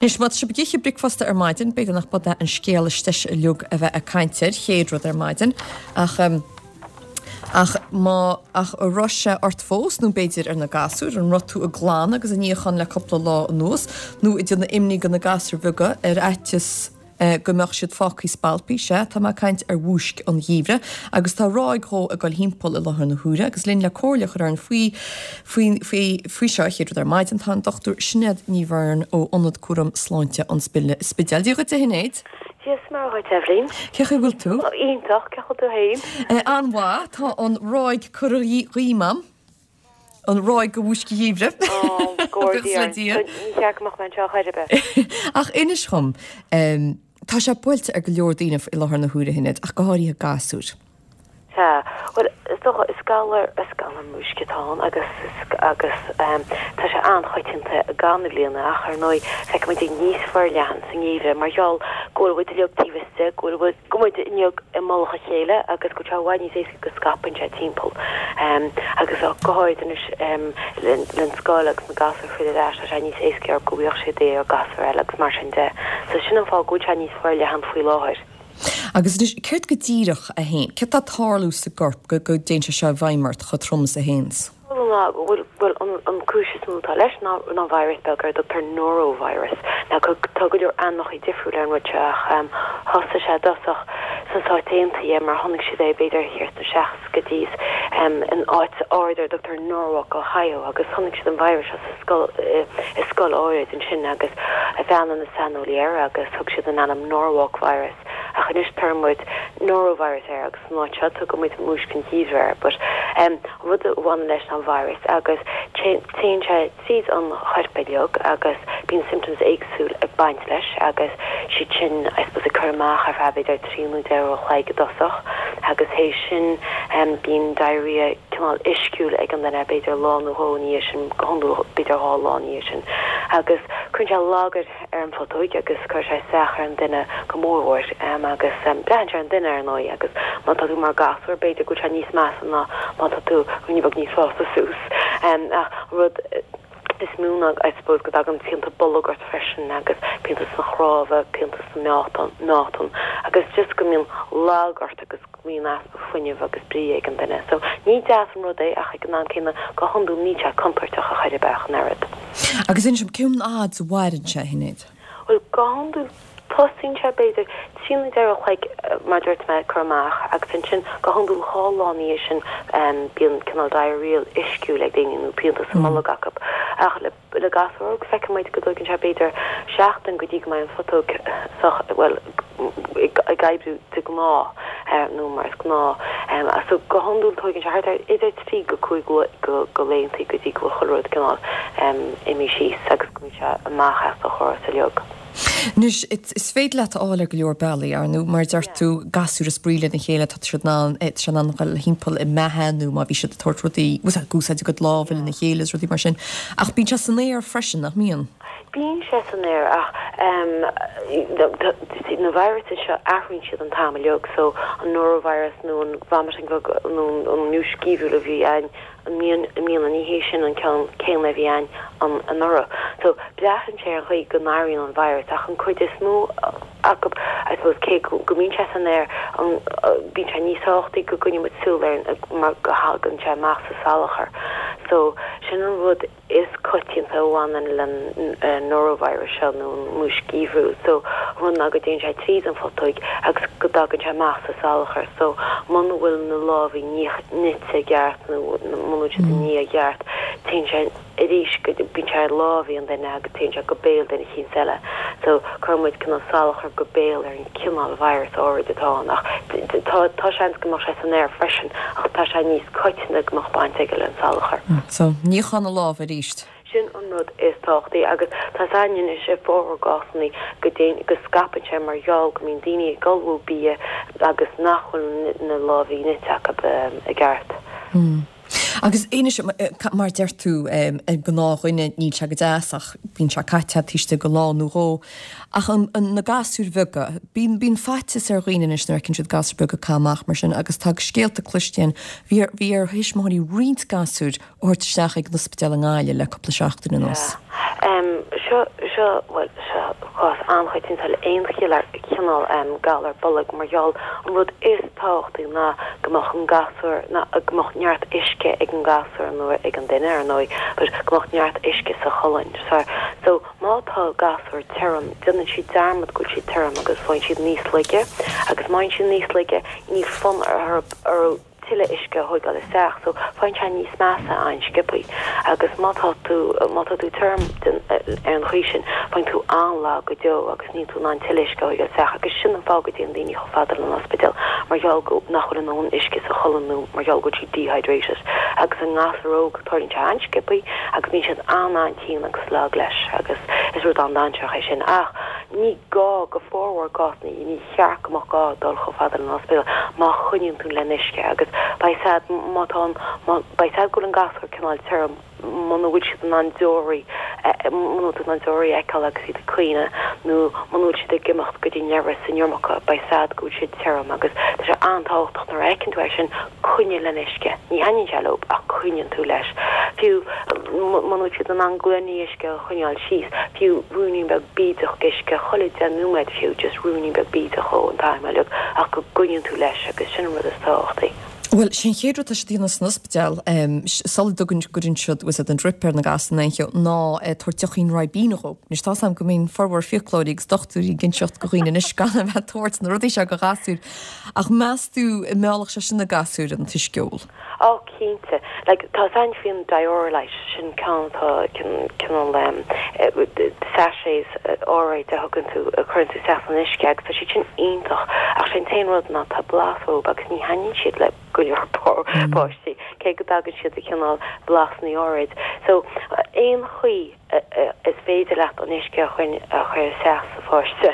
Anois, má tá sibh ag ithe bricfeasta ar maidin, b'fhéidir nach b'é an scéal is deise uilig a bheith ag caint air, chéad rud ar maidin, ach, ach má, ach an raibh sé ort fós, nó b'fhéidir ar na gasúir, an raibh tú ag glanadh agus ag níochán le cúpla lá anuas, nó ag déanamh imní do na gasúir bheaga ar fhaitíos, go mbeadh siad fágthaí spalpthaí, sea, tá mé ag caint ar mhúisc an gheimhridh, agus tá ráig dhó ag dul thimpeall i láthair na huaire, agus linn le comhairle a chur orainn faoi, faoi, faoi, faoi seo, chéad rud ar maidin, tá an Dr Sinéad Ní Bheirn ó Ionad Cúram Sláinte an Spidéil. Dia dhuit, a Shinéad. Dia is Muire dhuit, Eibhlín. Cén chaoi a bhfuil tú? Iontach, cén chaoi a bhfuil tú féin? An-mhaith, tá an ráig curtha dhíom a'm. An ráig de mhúisc an gheimhridh. Ó, go bhfóire Dia orainn. Ní cheart go mbeadh mé anseo chor ar bith. Ach inis dhom, tá sé buailte ar go leor daoine i láthair na huaire, a Shinéad, ach go háirithe gasúir. Sea. Bhuel, is dócha, is galar, is galar múisce atá ann agus, agus tá sé an-choitianta i gcaitheamh na bliana ach ar ndóigh feicimid é níos forleathan sa ngeimhreadh mar gheall go bhfuil muid uilig taobh istigh, go bhfuil, go bhfuil muid uilig i mullach a chéile agus go bhfuil sé i bhfad níos éasca go scaipeann sé timpeall agus go háirid anois le scoil agus na gasúir ag filleadh ar ais tá sé níos éasca orthu go bhfaigheadh siad é ó gasúr eile agus mar sin de. So sin an fáth go bhfuil sé níos forleathan faoi láthair. Agus anois, céard go díreach a théann, céard atá ag tarlú sa gcorp go go dtéann sé seo i bhfeidhm ort chomh trom is a théanns? Ná go bhfuil, bhuel, an cúis is mó atá leis ná ná virus beag ar a dtugtar norovirus. Now tá go leor ainmneacha difriúil ar an rud seo ach thosaigh sé i dtosach sna Stáit Aontaithe mar chonaic siad é b'fhéidir thiar sna seascaidí in áit áirid ar a dtugtar Norwalk, Ohio agus chonaic siad an virus seo sa scoil i scoil áirid ansin agus bhreathnaigh na saineolaí air agus thug siad an ainm Norwalk virus ach anois tugann muid norovirus air agus san áit seo tugann muid múisc an gheimhridh air but an rud a bhaineann leis ná virus agus téann sé tríd an chorp uilig agus bíonn symptoms éagsúil ag baint leis agus siad sin I suppose ag cur amach ar feadh b'fhéidir 3 nó 4 uair a chloig i dtosach agus théis sin bíonn diarrhea cineál uisciúil ag an duine b'fhéidir lá nó dhó ina dhiaidh sin go hiondúil b'fhéidir dhá lá ina dhiaidh sin agus cuireann sé lagar ar an phutóig agus cuireann sé isteach ar an duine go mórmhór agus braitheann sé ar an duine ar ndóigh agus má tá tú mar gasúr b'fhéidir go bhfuil sé níos measa ná má tá tú ruainne beag níos fásta suas ach an rud is mó ná I suppose go dtagann pianta bolg ort freisin agus pianta sna cnámha, pianta sna meáchan agus just go mbíonn lag ort agus go mbíonn easpa fuinnimh agus brí ag an duine. So ní deas an rud é ach ag an am céanna go hiondúil níl sé contúirteach a chor ar bith ach an oiread. Agus inis dom, cén fhad a mhaireann sé, a Shinéad? Bhuel, go hiondúil tosaíonn sé b'fhéidir 3 nó 4 uair a chloig mar a dúirt mé ag cur amach agus ansin go hiondúil dhá lá ina dhiaidh sin bíonn cineál diarrheal uisciúil ag daoine nó pianta sa mbolg acu ach le Le gasúr óg, feiceann muid go dtóigeann sé b'fhéidir seachtain go dtí go mbeidh an phutóg sách, bhuel, ag oibriú de ghnáth, nó mar is gnáth. So, go hiondúil tóigeann sé thart ar idir 3 go 5 go laethanta go dtí go bhfuil chuile rud cineál imithe síos agus go mbíonn sé amach as do chóras uilig. Anois, is féidir leat a fháil ar go leor bealaí, ar ndóigh, mar a deir tú, gasúir ag spraoi lena chéile, tá siad in ann, tá sé in ann dul thimpeall i mbeatha nó má bhí siad ag tabhairt rudaí, ag úsáid a gcuid lámha lena chéile is rudaí mar sin. Ach bíonn sé san aer freisin, nach mbíonn? Bíonn sé san aer ach na viruses seo athraíonn siad an t-am uilig so an norovirus nó an vomiting bug nó an mhúisc gheimhriúil a bhí againn i mbliana ní hé sin an ceann céanna a bhí againn anuraidh. So, braitheann sé ar an chaoi go n-athraíonn an virus ach an cuid is mó acu, I suppose, cé go mbíonn sé san aer, bíonn sé níos tábhachtaí go gcoinníonn muid súil air mar go thagann sé amach sa salachar. So, sin an rud is coitianta a bhaineann le norovirus seo nó an mhúisc gheimhriúil. So, an rud ná go dtéann sé tríd an phutóig agus go dtagann sé amach sa salachar. So, muna bhfuil na lámha nite i gceart nó muna bhfuil siad á ní i gceart, téann sé arís go, bíonn sé ar lámha an duine agus téann sé go béal duine eicínt eile. So, cuireann muid cineál salachar go béal ar an cineál virus áirid atá ann ach tá, tá seans go mbeadh sé san aer freisin ach tá sé níos coitianta go mbeadh baint aige le an salachar. So, níochán na lámha arís. Sin an rud is tábhachtaí agus tá a fhios againn anois i bhformhór gcásanna go dtéann, go scaipeann sé mar gheall go mbíonn daoine ag ullmhú bia agus nach bhfuil na lámha nite acu i gceart. Agus anois, mar a deir tú, ar gnáthdhuine níl sé go deas ach bíonn sé caite taobh istigh de lá nó dhó. Ach na gasúir bheaga, bíonn, bíonn faitíos ar dhaoine anois nuair a fheiceann siad gasúir beaga ag caitheamh amach mar sin agus tá scéalta cloiste againn, bhí ar, bhí ar thuismitheoirí roinnt gasúir a thabhairt isteach ag an ospidéal i nGaillimh le cúpla seachtain anuas. Sea. Seo, seo, bhuel, seo cás an-choitianta le aon chineál galar bolg mar gheall an rud is tábhachtaí ná go mbeadh an gasúr, ná go mbeadh neart uisce ag an gasúr nó ag an duine ar ndóigh, but go mbeadh neart uisce sa cholainn. So, so má tá gasúr tirim, déanann siad dearmad go bhfuil siad tirim agus faigheann siad níos laige agus má fhaigheann siad níos laige níl fonn orthu tuilleadh uisce a thóigeáil isteach so faigheann sé níos measa an-sciobthaí agus má tá tú má tá tú tirim den ar an chaoi sin faigheann tú an-lag go deo agus níl tú in ann tuilleadh uisce a thóigeáil isteach agus sin an fáth go dtéann daoine chomh fada leis an ospidéal mar gheall go nach bhfuil a ndóthain uisce sa cholainn nó mar gheall go bhfuil siad dehydrated agus i ngasúir óg tarlaíonn sé an-sciobthaí agus bíonn siad an-an-tinn agus lag leis agus is rud an-dainséarach é sin ach ní gá go formhór gcásanna ní cheart go mbeadh gá dul chomh fada leis an ospidéal má choinníonn tú len uisce agus beidh a fhios a'd má tá an má beidh a fhios a'd go bhfuil an gasúr cineál tirim muna bhfuil siad in ann deoraí muna bhfuil tú in ann deoraí a fheiceáil agus iad ag caoineadh nó muna bhfuil siad ag imeacht go dtí an leithreas san iomarca beidh a fhios a'd go bhfuil siad tirim agus tá sé an-tábhachtach nuair a fheiceann tú é sin coinnigh len uisce. Ní thaitníonn sé leo ach coinníonn tú leis. Fiú muna bhfuil siad in ann gloiní uisce a choinneáil síos, fiú ruainnín beag bídeach uisce chuile 10 nóiméad fiú, just ruainnín beag bídeach ó an t-am uilig ach go gcoinníonn tú leis agus sin an rud is tábhachtaí. Bhuel, sé an chéad rud atá siad a dhéanamh san ospidéal, sula dtugann, gcuireann siad, bhfuil 's a'd, an drip ar na gasúir nó aon cheo, ná tabhairt deochín Ribena dhóibh. Anois tá's a'm go mbíonn formhór fiaclóirí agus dochtúirí ag inseacht go dhaoine anois gan a bheith ag tabhairt na rudaí seo go ghasúir. Ach meas tú an meallfadh sé sin na gasúir an t-uisce a ól? Ó, cinnte. Like, tá a fhios a'inn faoin Dioralyte, sin ceann atá, cineál em, sachets áirid a thugann tú, a chuireann tú isteach san uisce agus tá siad sin iontach ach sé an t-aon rud ná tá blas orthu agus ní thaitníonn siad le go leor páistí, cé go dtagann siad i cineál blasanna áirid. So, aon chaoi is féidir leat an uisce a chur isteach sa pháiste,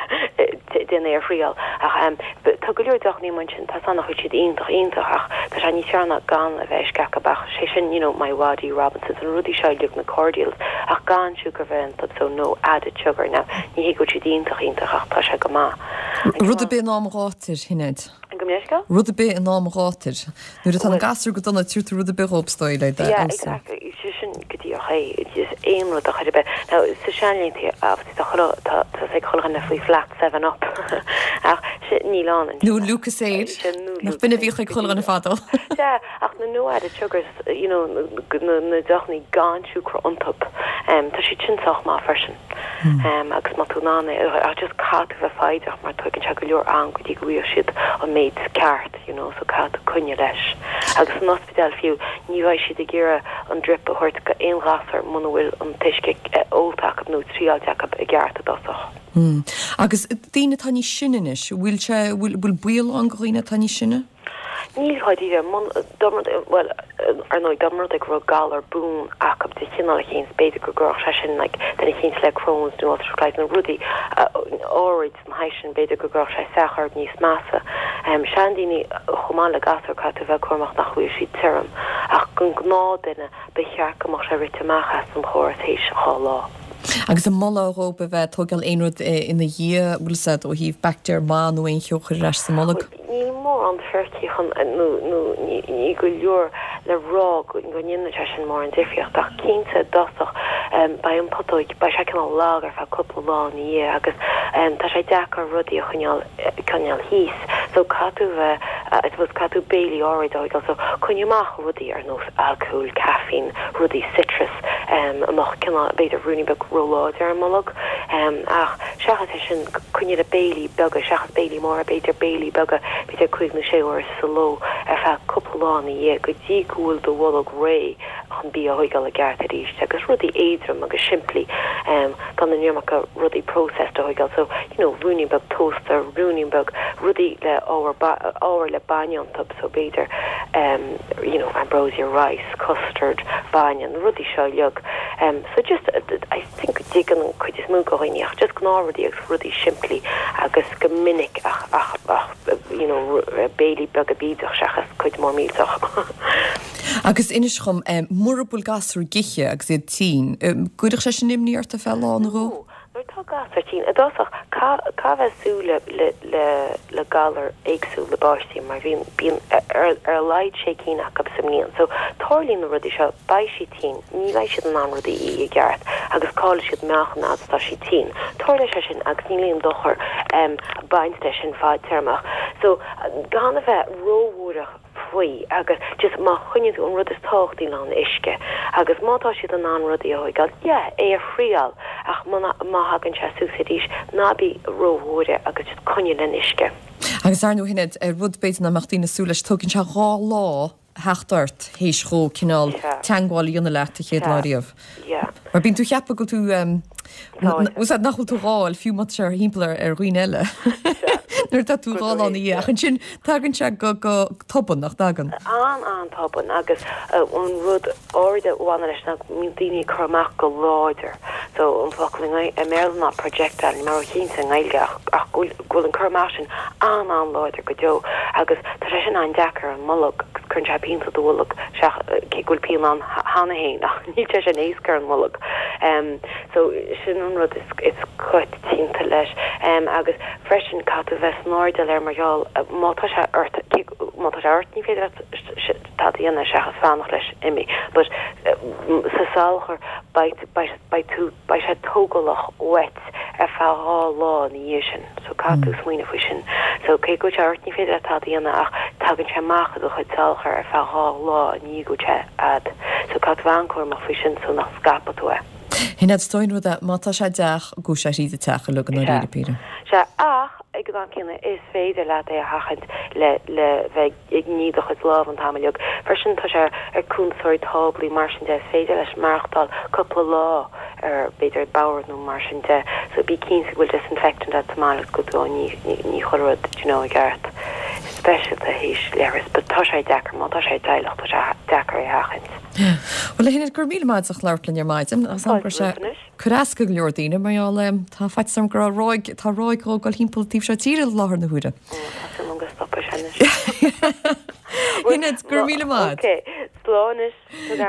déan é a thriail. Ach tá go leor deochannaí amuigh ansin, tá san nach bhfuil siad iontach iontach ach tá sé níos fearr ná gan a bheith uisce acu ach sé sin you know MiWadi, Robinsons, na rudaí seo uilig, na cordials ach gan siúcra a bheith iontu so no added sugar. Now ní hé go bhfuil siad iontach iontach ach tá sé go maith. Rud ar bith in am an ghátair, Shinéad. Gabh mo leithscéal? Rud ar bith in am an ghátair. Nuair atá na gasúir go dona, tabhair tú rud ar bith dhóibh is dóigh le do Yeah, exactly. Sé sin go díreach é. Just aon rud a chur ar bith. Now, sa seanlaethanta, obviously, tá chuile, tá, tá ag chuile dhuine faoi flat 7 Up. Ach sin, níl ann anseo. Nó Lucozade. Sin, nó Nach b'in a bhíodh ag chuile dhuine fadó. Sea, ach na no added sugars, you know, na, na deochannaí gan siúcra iontu, tá siad sin sách maith freisin. Agus má tá tú in ann é, ach just caithfidh tú bheith foighdeach mar tóigeann sé go leor am go dtí go bhfaighidh siad an méid ceart, you know, so caithfidh tú coinneáil leis. Agus san ospidéal fiú, ní bheidh siad ag iarraidh an drip a thabhairt go aon ghasúr muna bhfuil an t-uisce ólta acu nó triáilte acu i gceart i dtosach. Agus daoine atá níos sine anois, bhfuil sé, bhfuil baol ann go dhaoine atá níos sine? Níl dháiríre. Dá mba rud é, bhuel, ar ndóigh, dá mba rud é go raibh galar buan acu de chineál eicínt, b'fhéidir go gcuirfeadh sé sin, like, duine eicínt le Crohn's nó ulcerative colitis nó rudaí áirid den shaghas sin, b'fhéidir go gcuirfeadh sé isteach orthu níos measa. Seandaoine, chomh maith le gasúir, caithfidh tú a bheith cúramach nach bhfuil siad tirim. Ach don ghnáthduine, ba cheart go mbeadh sé rite amach as an chóras théis 2 lá. Agus an moladh dhóibh a bheith ag tógáil aon rud ina dhiaidh, bhfuil 's a'd, ó thaobh baictéar maith nó aon cheo a chur ar ais sa mbolg? Níl mórán fíricí chun, nó níl go leor le rá go ndéanann sé sin mórán difríocht, ach cinnte i dtosach beidh an putóig, beidh sé cineál lag ar feadh cúpla lá ina dhiaidh agus tá sé deacair rudaí a choinneáil, coinneáil thíos so caithfidh tú a bheith, I suppose caithfidh tú béilí áirid a thógáil so coinnigh amach rudaí ar nós alcól, caiféin, rudaí citrus a mbeadh cineál, b'fhéidir ruainnín beag róláidir ar an mbolg ach seachas é sin coinnigh le béilí beaga seachas béilí móra, b'fhéidir béilí beaga, b'fhéidir cúig nó sé uair sa ló ar feadh cúpla lá ina dhiaidh go dtí go bhfuil do bholg réidh chun bia a thóigeáil i gceart arís agus rudaí éadrom agus simplí gan an iomarca rudaí processed a thóigeáil so you know ruainnín beag tósta, ruainnín beag rudaí le ábhar ábhar le bainne iontu so b'fhéidir you know ambrosia rice, custard, bainne, na rudaí seo uilig so just I think go dtuigeann an cuid is mó de dhaoine ach just gnáthrudaí agus rudaí simplí agus go minic ach ach ach you know béilí beaga bídeach seachas cuid mór millteach. Agus inis dhom, mura bhfuil gasúir ag ithe agus iad tinn, gcuirfeadh sé sin imní ort ar feadh lá nó dhó? No. Nuair atá gasúr tinn, i dtosach, caithfidh a bheith ag súil le le le galair éagsúla i bpáistí mar bhíonn bíonn ar ar a laghad sé cinn acu sa mbliain. So tarlaíonn na rudaí seo, beidh siad tinn, ní bheidh siad in ann rudaí a ithe i gceart agus caillfidh siad meáchan fhad is atá siad tinn. Tarlóidh sé sin agus níl aon dochar ag baint leis sin fadtéarmach. So gan a bheith róbhuartha faoi agus just má choinníonn tú an rud is tábhachtaí ná an uisce agus má tá siad in ann rudaí a thóigeáil, yeah, é a thriáil ach muna, má thagann sé suas arís, ná bí róbhuartha agus just coinnigh len uisce. Agus ar ndóigh Shinéad, rud b'fhéidir nach mbeadh daoine ag súil leis, tógann sé 2 lá theacht ort théis dhó cineál teangmháil a dhéanamh leat an chéad lá riamh. Yeah. Mar bíonn tú ag ceapadh go bhfuil tú, úsáid nach bhfuil tú dhá fháil fiú má tá sé thimpeall ar ar dhaoine eile. Nuair atá tú dhá lá ina dhiaidh. Ach ansin tagann sé go go tobann, nach dtagann? An-an-tobann agus an rud áirid a bhaineann leis ná go mbíonn daoine ag cur amach go láidir. So an focal i mBéarla ná projectile, níl mé róchinnte i nGaeilge ach ach go bhfuil go bhfuil an cur amach sin an-an-láidir go deo agus tá sé sin an-deacair ar an mbolg agus cuireann sé pian sa do bholg, cé go bhfuil pian ann cheana féin ach níl sé sin éasca ar an mbolg. So sin an rud is is coitianta leis. Agus freisin caithfidh tú bheith san airdeall air mar gheall má tá sé ort, cé má tá sé ort ní féidir leat tada a dhéanamh seachas fanacht leis imigh but sa salachar beidh beidh beidh tú beidh sé tógálach uait ar feadh 2 lá ina dhiaidh sin so caithfidh tú smaoineamh faoi sin. So cé go bhfuil sé ort ní féidir leat tada a dhéanamh ach tagann sé amach i do chuid salachair ar feadh 2 lá i ndiaidh go bhfuil sé a'd. So caithfidh tú bheith an-chúramach faoi sin so nach scaipfidh tú é. Shin é is dóigh an rud é, má tá sé i dteach, gabhfaidh sé thríd an teach uilig i ndáiríre píre. Sea, ach ag an am céanna is féidir leat é a sheachaint le le bheith ag ní do chuid lámh an t-am uilig. Freisin tá sé ar cuntasóirí táblaí mar sin de, is féidir leis maireachtáil cúpla lá ar b'fhéidir bord nó mar sin de so bí cinnte go bhfuil disinfectant agat sa mbaile agus go bhfuil tú á ní ní chuile rud do you know i gceart speisialta théis leithreas but tá sé deacair má tá sé i dteaghlach tá sé deacair é a sheachaint. Bhuel a Shinéad, go raibh míle maith agat as labhairt linn ar maidin agus an go raibh sé cur as go leor daoine mar gheall tá faitíos orm go raibh ráig tá ráig dhó ag dul thimpeall taobh seo tíre i láthair na huaire. Tá súil agam go stopfaidh sé anois. Shinéad, go raibh míle maith. Ok, slán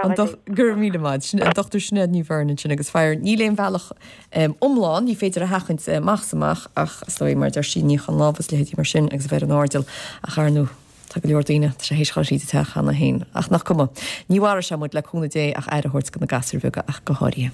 anois. Go raibh míle maith. Sin an Dr Sinéad Ní Bheirn ansin agus faraor níl aon bhealach iomlán, ní féidir a sheachaint amach is amach ach is dóigh mar a deir sí níochán lámh is leithéidí mar sin agus a bheith ar an airdeall ach ar ndóigh tá go leor daoine, tá sé théis dhul thríd an teach cheana féin. Ach nach cuma. Ní mharóidh sé muid le cúnamh Dé ach aire a thabhairt do na gasúir bheaga ach go háirithe.